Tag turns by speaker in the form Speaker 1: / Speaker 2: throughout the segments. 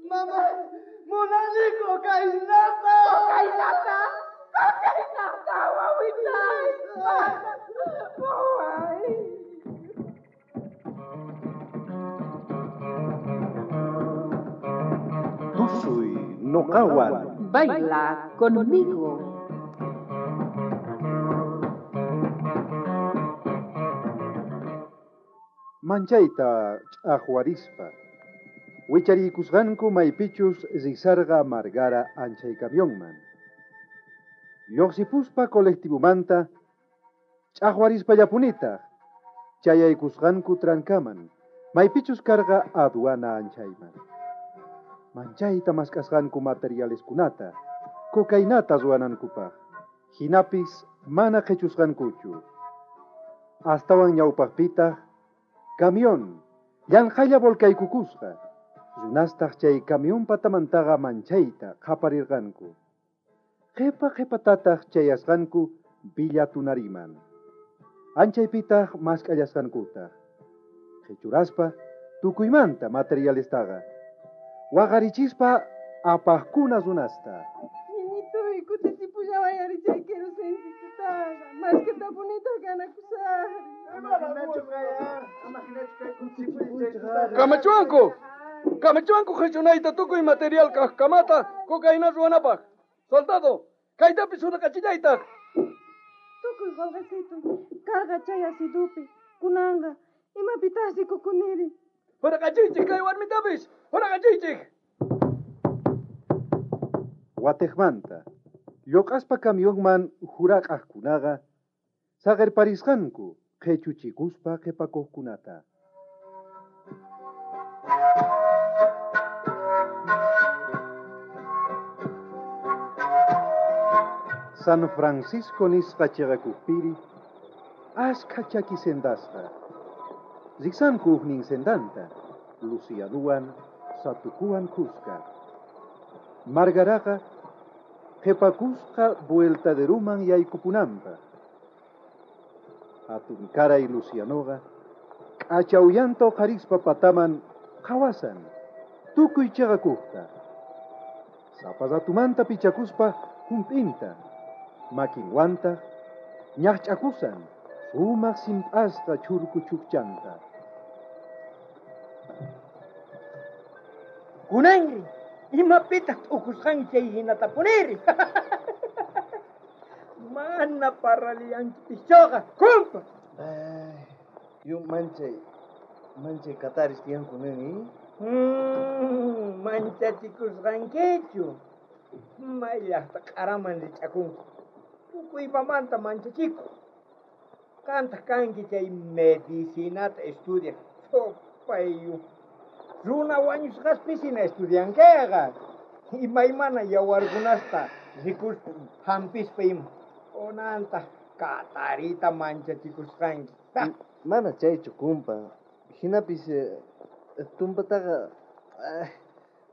Speaker 1: Mamá, munani cocainata.
Speaker 2: Cocainata. Cocainata, wawitay. Waway.
Speaker 3: Tusuy noqawan.
Speaker 4: Baila conmigo.
Speaker 3: Manchayta ch'aqwarispa. Wichariykusqanku maypichus risarqa Margara anchay camionman. Lluqsipuspa colectivomanta ch'aqwarispallapunitaj chayaykusqanku trancaman maypichus karqa aduana anchayman. Manchayta mask'asqanku materialeskunata cocainata ruwanankupaq hinapis mana qhichusqankuchu. Astawan ñawpaqpitaq camión llanqhalla volcaykukusqa runastaq chay camión patamantaqa manchayta qhaparirqanku. Qhipa qhipatataq chayasqanku Villa Tunariman. Anchaypitaq mask'allasqankutaq. Qhichuraspa tukuymanta materialestaqa. Waqarichispa apaqkuna runasta.
Speaker 2: Ñiñituy, kutichipullaway ari chay querosencitotaqa. Mask'atapunitaq ganakusaqri.
Speaker 1: Kamachuanku. Kamachuanku qhichunayta tukuy material kaqkamata cocaína ruwanapaq. Soldado, kaytapis huraqachillaytaq.
Speaker 2: Tukuy qolqesituy karqa chay asidupi. Kunanqa imapitaq rikukuniri.
Speaker 1: Huraqachiychik kay warmitapis. Huraqachiychik.
Speaker 3: Watiqmanta lluq'aspa camionman huraq'aqkunaqa saqirparisqanku qhichuchikuspa qhipakuqkunata. San Francisco nisqa chiqakupiri ashkha chaki sendasqa. Riksanku huknin sendanta, Lucianuwan Satukuwan kuska. Margaraqa qhipakusqa vueltaderuman yaykupunanpaq. Hatunkaray Lucianoqa k'acha uyanta uqharispa pataman qhawasan tukuy chiqakuqta. Sapa ratumanta pichakuspa hump'inta, makinwantaq ñaqch'akusan sumaq simp'asqa churku chukchanta.
Speaker 5: Kunanri, imapitaq t'ukusqanki chay hinatapuniri. Mana parraliyankipischuqa, kumpa.
Speaker 6: Ay, yu manchay, manchay kataris tiyanku nin, eh?
Speaker 5: Manchachikusqankichu. May llaqta q'araman rich'akunku. Tukuymamanta manchachiku. Qantaq kanki chay medicinata estudiaq. Chupayu. Runa wañusqaspisina estudiankiqa. Imaymana yawarkunasta rikuspa hampispa ima. Kunantaq katarita manchachikusqanki.
Speaker 6: Mana chaychu, kumpa. Hinapis tumpataqa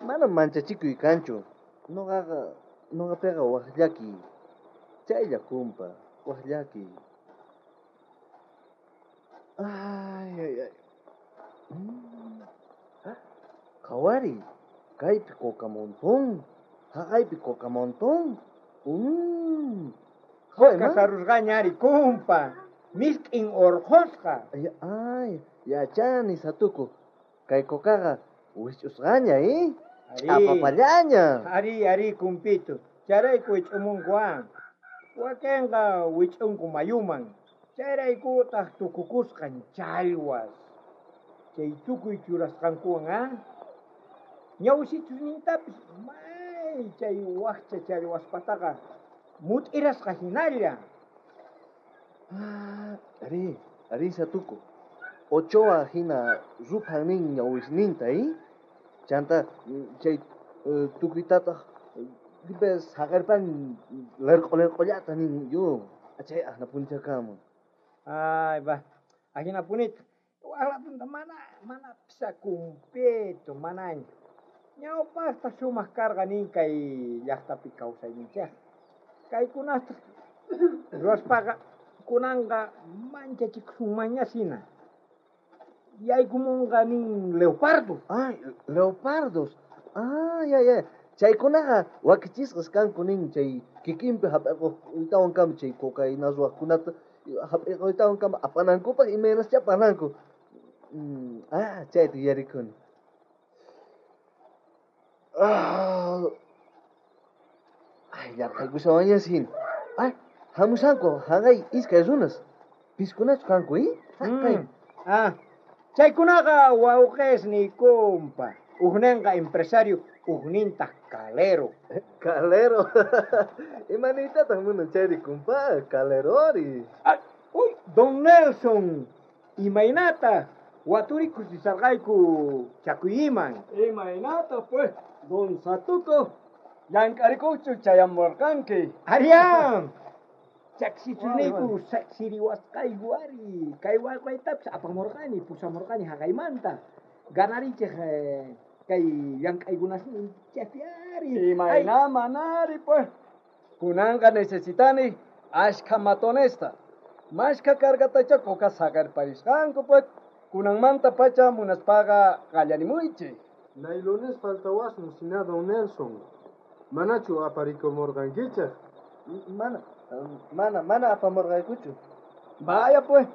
Speaker 6: mana manchachikuy kanchu. Noqaqa noqapiqa waj llakiy. Chaylla, kumpa, waj llakiy. Ay, ay, ay. Qhawariy, kaypi coca montón, haqaypi coca montón.
Speaker 5: Coca sarusqaña ari, kumpa. Misk'in urqhusqa.
Speaker 6: Ay, ay, yachani, Satuku. Kay cocaqa wisch'usqaña, eh?
Speaker 5: Ari.
Speaker 6: Ch'apapallaña.
Speaker 5: Ari, ari, kumpito. Chayrayku wich'umunku, ah. Wakinqa wich'unku mayuman. Chayraykutaq tukukusqan challwas. Chay tukuy churasqankuwan, ah. Ñawsichusnintapis may chay waqcha challwaspataqa mut'irasqa hinalla.
Speaker 6: Ah, ari, ari, Satuku. Ochoa hina ruphan nin ñawisninta, eh? Chanta chay tukuytataq dipes saqirpan lerq'o lerq'ollata nin yo. Chay ajnapunchakamun.
Speaker 5: Ay, va. Ajinapunita. Waqlapunta mana, mana pisa kumpeto, manaña. Ñawpaqta sumaq karqa nin kay llaqtapi kawsayninchik. Kaykunasta ruwaspaqa kunanqa manchachikusunmanñasina. Yaykumunqa nin leopardo.
Speaker 6: Ay, leopardos. Ah, ya, ya. Chaykunaqa wakichisqas kanku nin chay kikinpi hap'iquytawan kama chay cocaína ruwaqkunata hap'iquytawan kama apanankupaq imaynaschá parlanku. Ah, chayta yuyarikuni. Ah, ay, yarqaykushawanñas hina. Ay, hamushanku haqay iskay runas. Piskunachu kanku, eh? Haqay.
Speaker 5: Ah, chaykunaqa wawqisniy kumpa. Ujninqa empresario, ujnintaq calero.
Speaker 6: Calero. Imaniytataq munan chayri kumpa? Calerori.
Speaker 5: Ay, uy, don Nelson, imaynata waturikus risarqayku Chakuyiman.
Speaker 1: Imaynata pues, don Satuco, llank'arikuqchu chayamurqanki.
Speaker 5: Arián, chaksichuniyku saksiriwasqayku ari, kay wawqaytapis apamurqani, pusamurqani haqaymanta. Ganarichej kay llank'aykunasninchejpi ari.
Speaker 1: Imayna manari pues. Kunanqa necesitani ashkha matonesta. Mashkha cargatacha coca saqarparisqanku pues. Kunanmanta pacha munaspaqa qallarimuychik.
Speaker 7: Nailones faltawasun sina don Nelson. Manachu aparikumurqankichej?
Speaker 6: Mana, mana, mana apamurqaykuchu.
Speaker 1: Vaya pues,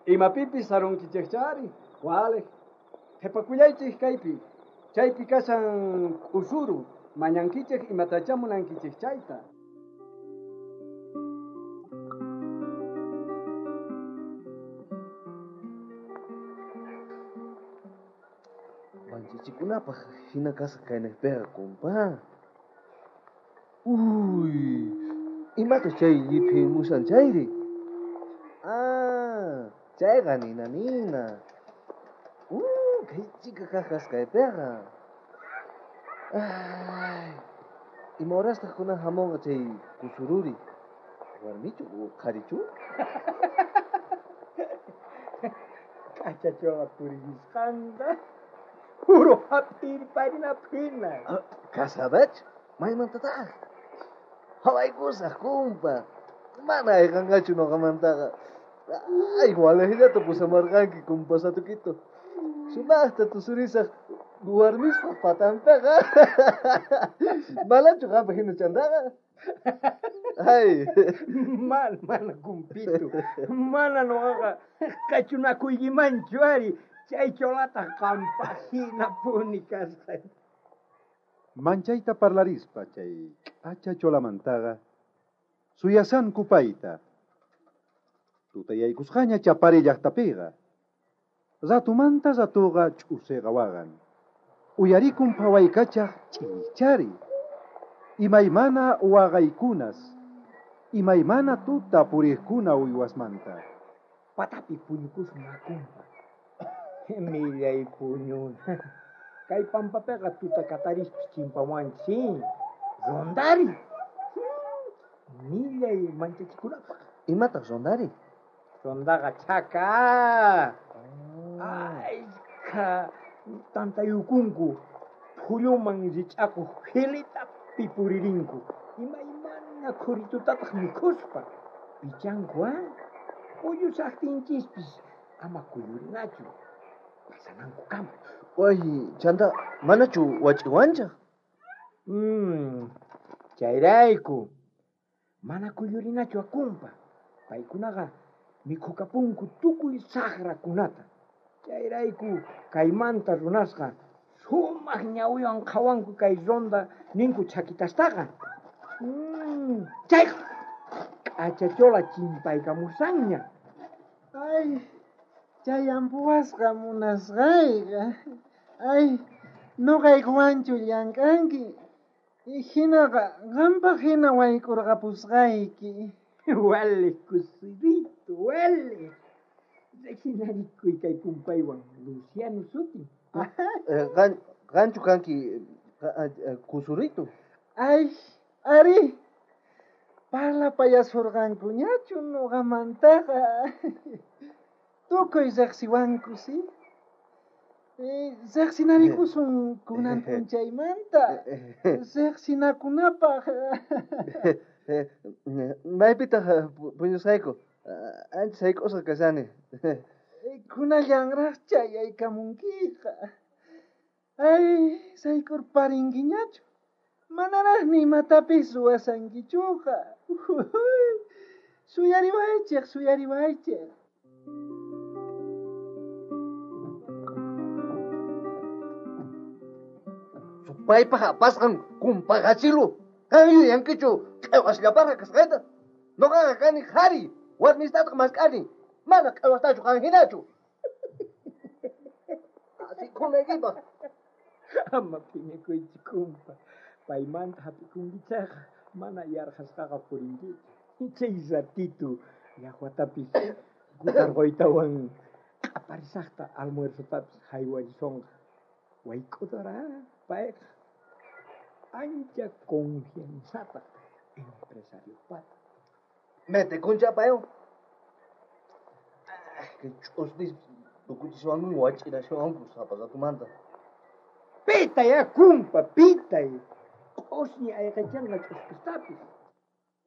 Speaker 1: imapipis sarunkichejchari, wale. Qhipakullaychik kaypi. Chaypi kashan k'usuru, mañankichej imatachá munankichej chayta.
Speaker 6: Manchachikunapaq hina kasqa kaynaqpiqa, kumpa. Uy, imata chay lliphimushan chayri? Ah, chayqa nina nina. Kay chika kaq kasqaypiqa. Ay, ima horastaq kunan hamunqa chay kusururi? Warmichu o qharichu?
Speaker 5: K'achachoqa puririsqanqa uru hap'irparinapaq hina.
Speaker 6: Casadach? Maymantataq? Hawaykusaq, kumpa. Mana ayqanqachu noqamantaqa. Ay, walejllata pusamarqanki, kumpa Satuquito. Sumaqta tusurisaq warmispaq patantaqa. Manachu qampaq hina chantaqa? Ay.
Speaker 5: Mana, mana, kumpito. Mana noqaqa qachunakuykimanchu ari. Chay cholataq qampaq hinapuni kasqa.
Speaker 3: Manchayta parlarispa chay k'acha cholamantaqa suyasanku payta. Tutayaykusqaña Chapari llaqtapiqa. Ratumanta ratuqa ch'usiqa waqan. Uyarikun phawaykachaq ch'ichari. Imaymana waqaykunas, imaymana tuta puriqkuna uywasmanta.
Speaker 5: Patapi puñukusun akumpa. Millay puñuna. Kay pampapiqa tuta katarispis chimpawanchik. Rondari. Millay manchachikunapaq.
Speaker 6: Imataq rondari?
Speaker 5: Rondaqa chaka. Ayka tantayukunku phulluman rich'akuq jilitapi puririnku. Imaymana khuritutataq mikhuspa pichanku, ah? Kuyusaqtinchispis ama kuyurinachu. Pasanankukama.
Speaker 6: Way, chanta, manachu wach'iwanchaq?
Speaker 5: Chayrayku. Mana kuyurinachu akumpa. Paykunaqa mikhukapunku tukuy saqrakunata. Chayrayku kaymanta runasqa sumaq ñawiwan qhawanku kay ronda ninku chakitastaqa. Chayqa k'achachola chimpaykamusanña.
Speaker 8: Ay, chay ampuwasqa munasqayqa. Ay, noqaykuwanchu llank'anki. Hinaqa qampaq hina wayk'urqapusqayki.
Speaker 5: Wale, kusurito, wale. Riqsinarikuy kay kumpaywan Luciano sutin.
Speaker 6: Qanchu kanki kusurito?
Speaker 8: Ay, ari. Parlapayasurqankuñachu noqamantaqa. Tukuy riqsiwanku, si? Riqsinarikusun kunan p'unchaymanta. Riqsinakunapaq.
Speaker 6: Maypitaq puñusqayku? Ancha sayk'usqa kashani.
Speaker 8: Kunallanraq chayaykamunkiqa. Ay, sayk'urparinkiñachu. Manaraqmi imatapis ruwasankichuqa. Suyariwaychej, suyariwaychej.
Speaker 6: Supaypaj apasqan kumpaqachilu. Qan yuyankichu q'ewasllaparqa kasqayta. Noqaqa kani qhari, warmistataq mask'ani. Mana q'ewastachu qan hinachu. Asikunaykipaq.
Speaker 5: Ama phiñakuychu kumpa. Paymanta hap'ikunkichayqa mana yarqhasqaqa purinkichu. Chay ratitu llaqwatapis kutarquytawan q'aparisaqta almuerzotapis haywarisonqa. Wayk'udora payqa ancha confianzataq empresariopata.
Speaker 6: Mete kuncha paywan. Kay ch'usnis tukuchiswanku wach'irashawanku sapa ratumanta.
Speaker 5: Pitay a kumpa, pitay. Q'usñi ayqichanqa ch'uspistapis.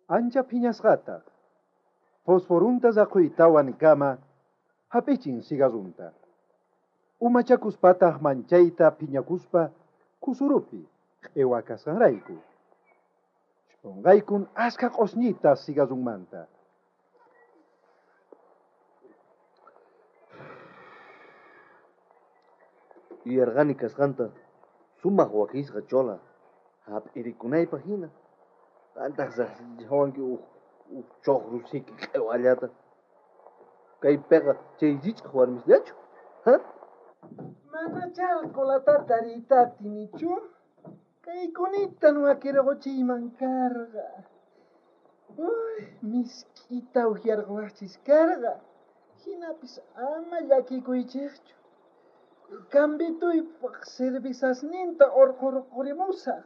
Speaker 3: Ancha phiñasqataq. Fosforunta raquytawan kama hap'ichin cigarrunta. Umachakuspataq manchayta phiñakuspa kusurupi q'ewa kasqanrayku. Ch'unqaykun askha q'usñita cigarrunmanta.
Speaker 6: Yuyarqani kasqanta sumaq wakisqa chola hap'irikunaypaq hina. Qantaq riqsichiwanki uj ch'uqru siki q'ewallata. Kaypiqa chay rich'aq warmisllachu. Ha?
Speaker 8: Manachá colatata riyta atinichu. Kaykunita wakirquchiyman karqa. Uy, misk'ita ukyarquwaqchis karqa. Hinapis ama llakikuychikchu. Cambituypaq cervezasninta urqurqurimusaq.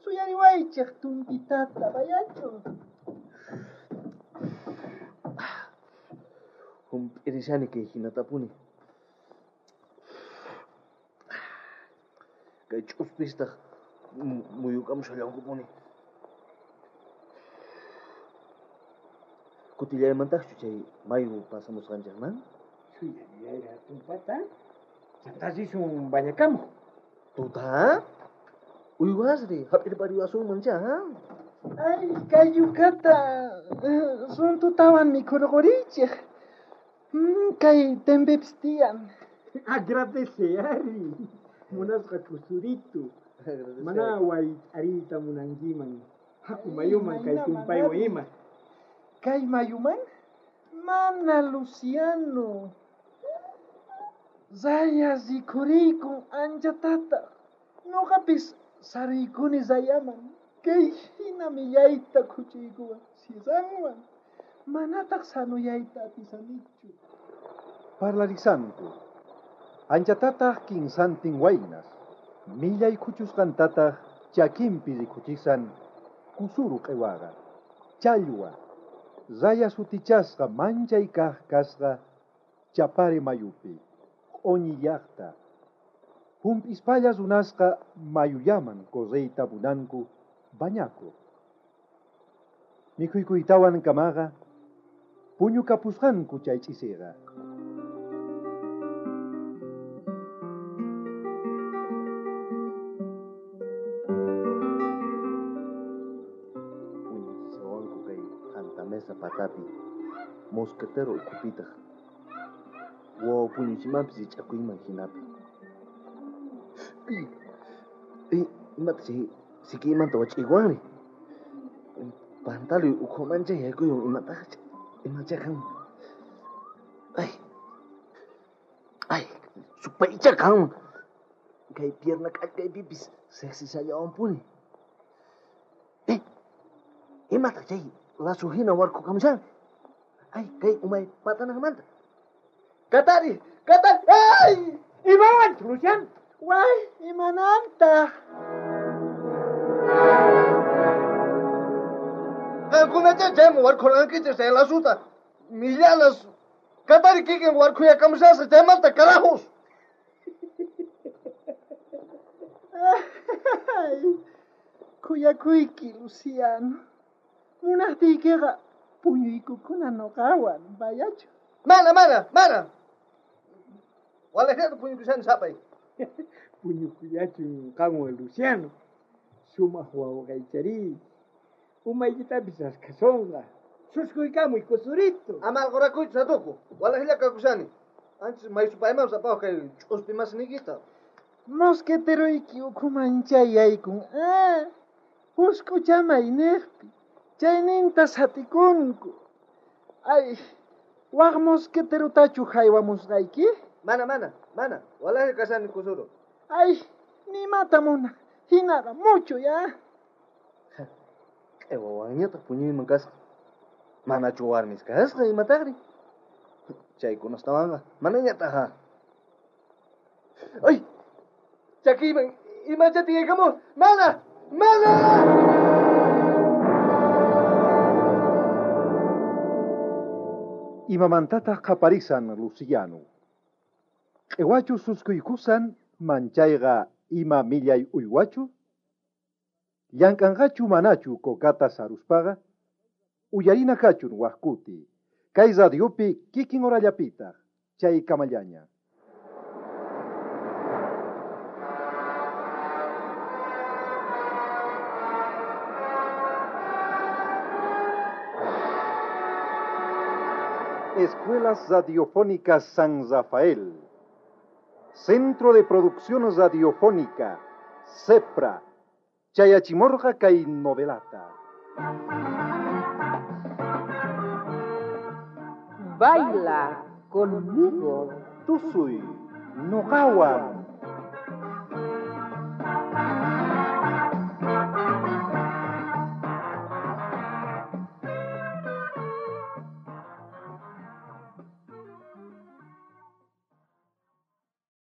Speaker 8: Suyariwaychik tumpitata bayachu.
Speaker 6: Hump'irishani kay hinatapuni. Kay ch'uspistaq muyukamushallankupuni. Kutillaymantaqchu chay mayu pasamusqanchikman?
Speaker 5: Suyariyayra tumpata. Chantá risun bañakamuq.
Speaker 6: Tuta? Uywasri, hap'irpariwasunman cha, ha?
Speaker 8: Ay, kay yukata runtutawan mikhurqurichik. Kay tempepis tiyan.
Speaker 5: Agradece ari. Munasqa kusuritu. Mana wayt'ariyta munankiman. Haku mayuman kay kumpaywan ima.
Speaker 8: Kay mayuman? Mana, Luciano. Raya rikhuriykun anchatataq. Noqapis saruykuni rayaman. Kay hina millayta khuchuykuwan sirranwan. Manataq sanuyayta atisanichu.
Speaker 3: Parlarisanku. Anchatataq kinsantin waynas. Millay khuchusqantataq chakinpi rikhuchisan kusuru q'iwaqa. Challwa. Raya sutichasqa manchay kaq kasqa Chapare mayupi. Q'uñi llaqta. Hump'ispalla runasqa mayullaman correyta munanku bañakuq. Mikhuykuytawan kamaqa puñukapusqanku chay ch'isiqa.
Speaker 6: Puñuchishawanku kay qantamesa patapi mosquetero ukhupitaq. Wawa puñuchimanpis rich'akuyman hinapi. Imata chay sikiymanta wach'iykuwanri? Pantaloy ukhumancha yaykuywan imataq imacha kan. Ay, ay, supaycha kanman. Kay pierna k'allkaypipis siqsishallawanpuni. Imataq chay lazo hina warkhukamushan? Ay, kay umay patananmanta. Katari, katari, ay!
Speaker 5: Imawan, Luciano?
Speaker 8: Way, imanantaq?
Speaker 6: Qankunacha chayman warkhurqankichik chay lazuta. Millanas, katari kikin warkhuyakamushasqa chaymanta carajos.
Speaker 8: Ay, khuyakuyki, Luciano. Munaqtiykiqa puñuykukuna noqawan, bayachu.
Speaker 6: Mana, mana, mana. Walejata puñukushani sapay.
Speaker 5: Puñukullachun qanwan Luciano. Sumaq wawqaycharí. Umaykitapis raskhasonqa. Suskuykamuy kusurito.
Speaker 6: Ama alqorakuychu satuku. Walajlla kakushani. Anchis maysupayman sapawaq kay ch'uspi masniykita.
Speaker 8: Mosqueteroyki ukhuman chayaykun. Ah, husk'uchamay niqpi. Chayninta satikunku. Ay, waq mosqueterutachu haywamusqayki?
Speaker 6: Mana, mana, mana. Walajlla kashani kusuro.
Speaker 8: Ay, nimata munaq. Hinaqa mucho ya.
Speaker 6: Q'ewawanñataq puñuyman kasqa. Manachu warmis kasqa imataqri? Chaykunastawanqa manañataq. ¡Ay! Chakiyman imacha tiyaykamun. ¡Mana! ¡Mana!
Speaker 3: Imamantataq qaparisan Luciano. Q'ewachu suskuykusan manchayqa ima millay uywachu? Llank'anqachu manachu kokata saruspaqa? Uyarina kachun waqkuti. Kay radiopi kikin horallapitaq chay kamallaña. Escuelas Radiofónicas San Rafael. Centro de Producción Radiofónica, CEPRA, Chayachimorja kay novelata.
Speaker 4: Baila conmigo.
Speaker 3: Tusuy, Noqawan.